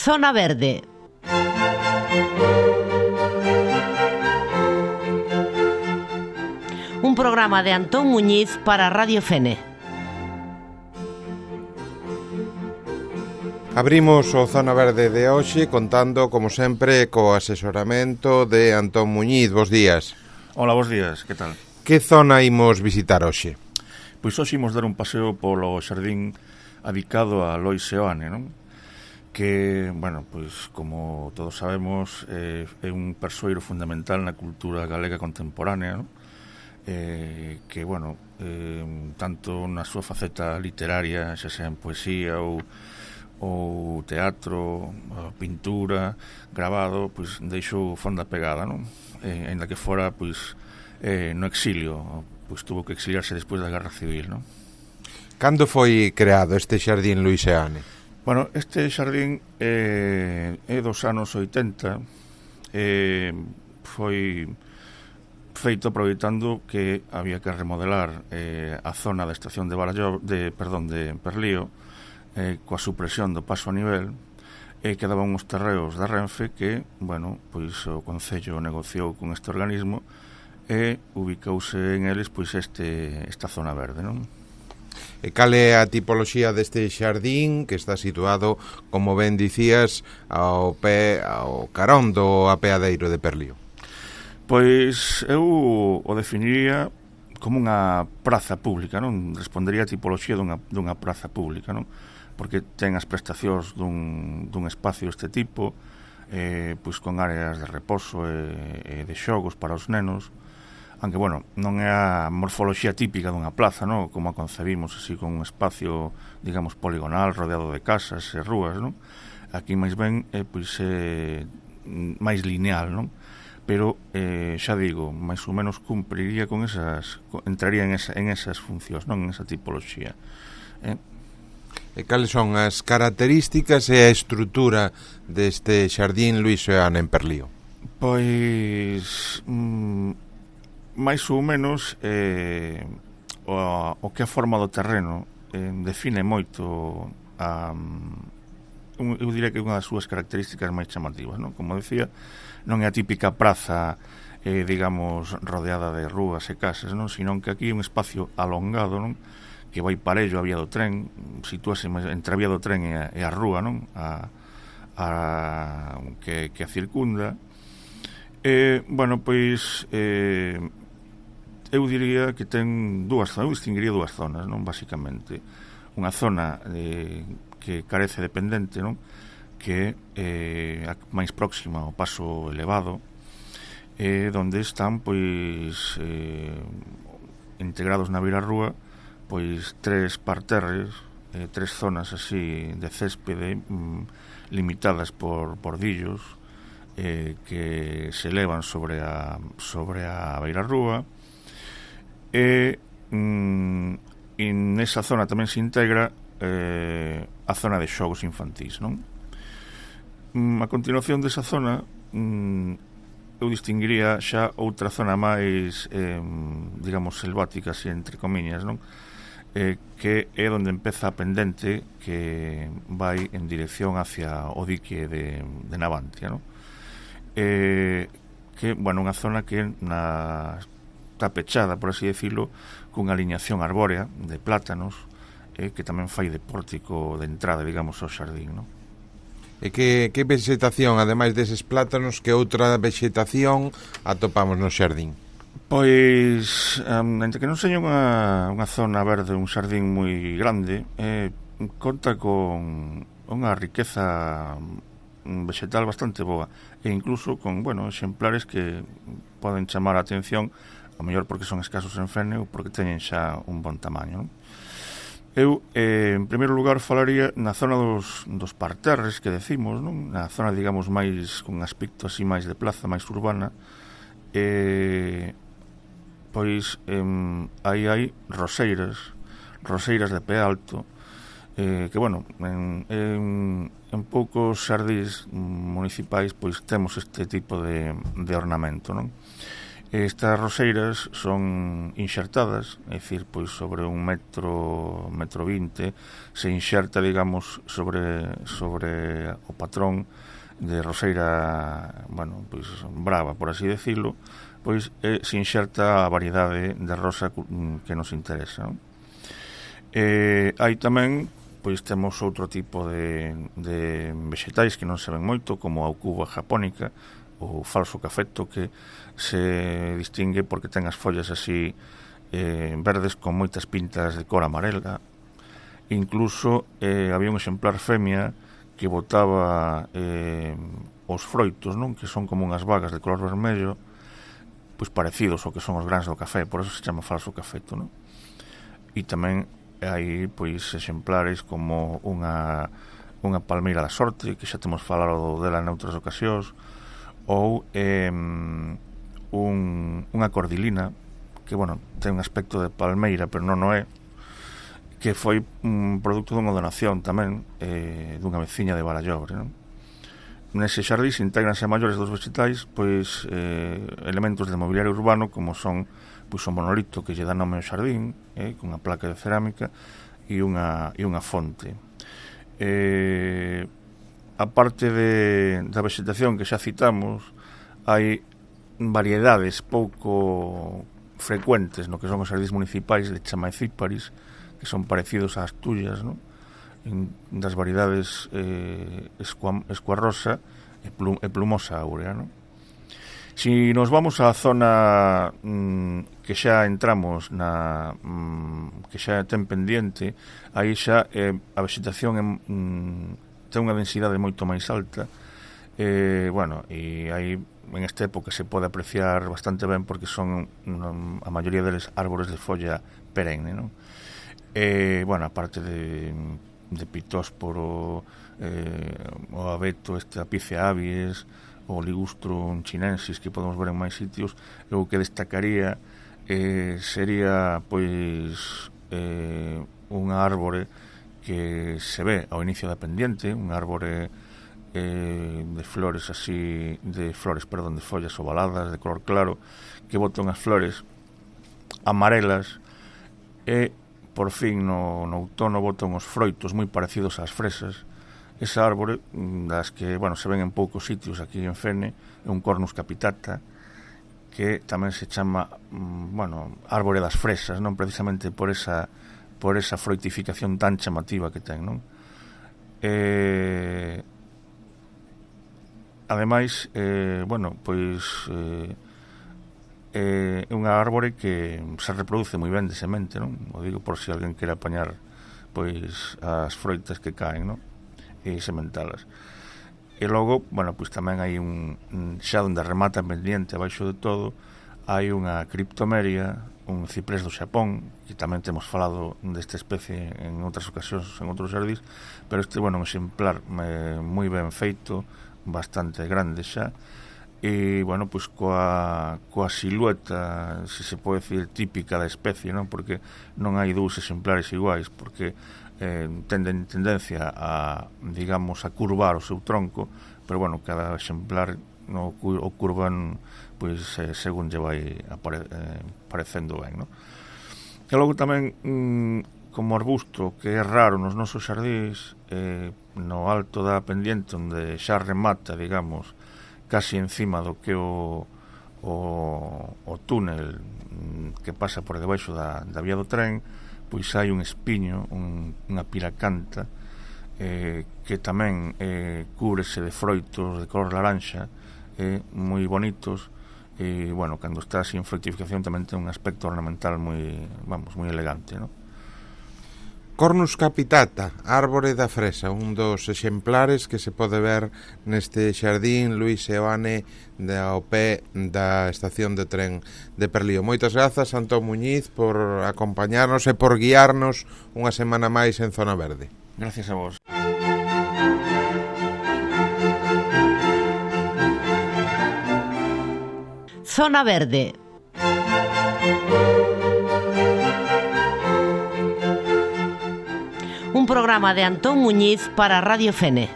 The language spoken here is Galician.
Zona Verde. Un programa de Antón Muñiz para Radio Fene. Abrimos o Zona Verde de hoxe contando, como sempre, co asesoramento de Antón Muñiz. Bos días. Hola, bos días, que tal? Que zona imos visitar hoxe? Pois hoxe imos dar un paseo polo xardín adicado a Lois Seoane, non? Que, bueno, pois como todos sabemos, é un persoeiro fundamental na cultura galega contemporánea, non? Que, bueno, tanto na súa faceta literaria, xa sea en poesía ou teatro, pintura, grabado, pois deixou fonda pegada, non? Ainda que fora, pois, no exilio, pois tuvo que exiliarse despois da Guerra Civil, non? Cando foi creado este xardín Lois Seoane? Bueno, este xardín é dos anos 80, foi feito aproveitando que había que remodelar a zona da estación de Perlío, coa supresión do paso a nivel, quedaban uns terreos da Renfe que, bueno, pois o Concello negociou con este organismo e ubicouse en eles pois esta zona verde, non? E cal é a tipoloxía deste xardín que está situado, como ben dicías, ao carón do apeadeiro de Perlío? Pois eu o definiría como unha praza pública, non? Respondería a tipoloxía dunha praza pública, non? Porque ten as prestacións dun espacio deste tipo, pois con áreas de reposo e de xogos para os nenos, aunque, bueno, non é a morfoloxía típica dunha plaza, non? Como a concebimos, así, con un espacio, digamos, poligonal, rodeado de casas e rúas, non? Aquí, máis ben, pois, máis lineal, non? Pero, xa digo, máis ou menos cumpriría con entraría en esas funcións, non? En esa tipoloxía. E cales son as características e a estrutura deste xardín Lois Seoane en Perlío? Pois... máis ou menos o que a forma do terreno define moito eu diría que é unha das súas características máis chamativas, non? Como decía, non é a típica praza digamos rodeada de rúas e casas, non? Sino que aquí é un espacio alongado, non? Que vai parello a vía do tren, sitúase entre a vía do tren e a rúa, non? Que a circunda. Bueno, pois eu diría que ten dúas zonas, eu distinguiría dúas zonas, non? Basicamente, unha zona que carece de pendente, non? Que é a máis próxima ao paso elevado, donde están, pois, integrados na beirarrúa, pois, tres parterres, tres zonas así de céspede, limitadas por bordillos, que se elevan sobre a beirarrúa, e nesa zona tamén se integra a zona de xogos infantís, non? A continuación desa zona eu distinguiría xa outra zona máis digamos selvática, así entre comiñas, non? Que é onde empeza a pendente que vai en dirección hacia o dique de Navantia, non? Que, bueno, unha zona que está pechada, por así decirlo, cunha aliñación arbórea de plátanos, que tamén fai de pórtico de entrada, digamos, ao xardín, non? E que vegetación, ademais deses plátanos, que outra vegetación atopamos no xardín? Pois, entre que non seña unha zona verde, un xardín moi grande, conta con unha riqueza vegetal bastante boa, e incluso con, bueno, exemplares que poden chamar a atención, a mellor porque son escasos en Fene ou porque teñen xa un bon tamaño, non? Eu, en primeiro lugar, falaría na zona dos parterres que decimos, non? Na zona, digamos, máis con aspecto así máis de plaza, máis urbana, pois aí hai roseiras de pé alto, que, bueno, en poucos xardís municipais pois temos este tipo de ornamento, non? Estas roseiras son inxertadas, é dicir, pois sobre 1 metro, 1,20 m, se inxerta, digamos, sobre o patrón de roseira, bueno, pois brava, por así decirlo, pois se inxerta a variedade de rosa que nos interesa, non? Hai tamén, pois temos outro tipo de vexetais que non se ven moito, como a aucuba japónica, o falso cafeto, que se distingue porque ten as follas así verdes con moitas pintas de cor amarela. Incluso había un exemplar femia que botaba os froitos, non? Que son como unhas vagas de color vermello, pois parecidos ao que son os grans do café, por eso se chama falso cafeto, non? E tamén hai pois exemplares como unha palmeira da sorte, que xa temos falado dela noutras ocasións, ou unha cordilina, que, bueno, ten un aspecto de palmeira, pero non o é, que foi un produto dunha donación tamén dunha veciña de Barallobre, non? Nese xardín se integranse a maiores dos vegetais, pois elementos de mobiliario urbano, como son pois o monolito que lle dá nome ao xardín, con unha placa de cerámica e unha fonte. A parte da vegetación que xa citamos, hai variedades pouco frecuentes no que son os xardíns municipais de Chamaecíparis, que son parecidos ás tuyas, non? Das variedades escuarrosa e plumosa áurea, non? Si nos vamos á zona que xa entramos que xa ten pendiente, aí xa a vegetación ten unha densidade moito máis alta, bueno, e aí en esta época se pode apreciar bastante ben porque son a maioría deles árbores de folla perenne, non? Bueno, aparte de pitósporo, o abeto, Apicea abies, o Ligustrum chinensis, que podemos ver en máis sitios, o que destacaría sería pois unha árbore que se ve ao inicio da pendiente, unha árbore de follas ovaladas de color claro, que bota unhas flores amarelas, e por fin no outono botan os froitos moi parecidos ás fresas. Esa árbore, das que, bueno, se ven en poucos sitios aquí en Fene, é un Cornus capitata, que tamén se chama, bueno, árbore das fresas, non precisamente por esa froitificación tan chamativa que ten, non? Ademais, bueno, pois é unha árbore que se reproduce moi ben de semente, non? O digo por se alguén quere apañar pois as froitas que caen, non? E sementalas. E logo, bueno, pois tamén hai xa onde remata pendiente abaixo de todo, hai unha criptomeria, un ciprés do Xapón, que tamén temos falado desta especie en outras ocasións, en outros xardís, pero este, bueno, un exemplar moi ben feito, bastante grande xa, e, bueno, pois coa silueta, se se pode decir, típica da especie, non? Porque non hai dous exemplares iguais, porque tenden tendencia a, digamos, a curvar o seu tronco, pero, bueno, cada exemplar o curvan pois según lle vai parecendo ben, non? E logo tamén como arbusto que é raro nos nosos xardís, no alto da pendiente onde xa remata, digamos, casi encima do que o túnel que pasa por debaixo da vía do tren, pois hai un espiño, unha piracanta, que tamén cúbrese de froitos de color laranxa, moi bonitos, e, bueno, cando está así en fructificación tamén ten un aspecto ornamental moi elegante, non? Cornus capitata, árbore da fresa, un dos exemplares que se pode ver neste xardín Luís Seoane ao pé da estación de tren de Perlío. Moitas grazas, Antón Muñiz, por acompañarnos e por guiarnos unha semana máis en Zona Verde. Gracias a vos. Zona Verde. Un programa de Antón Muñiz para Radio Fene.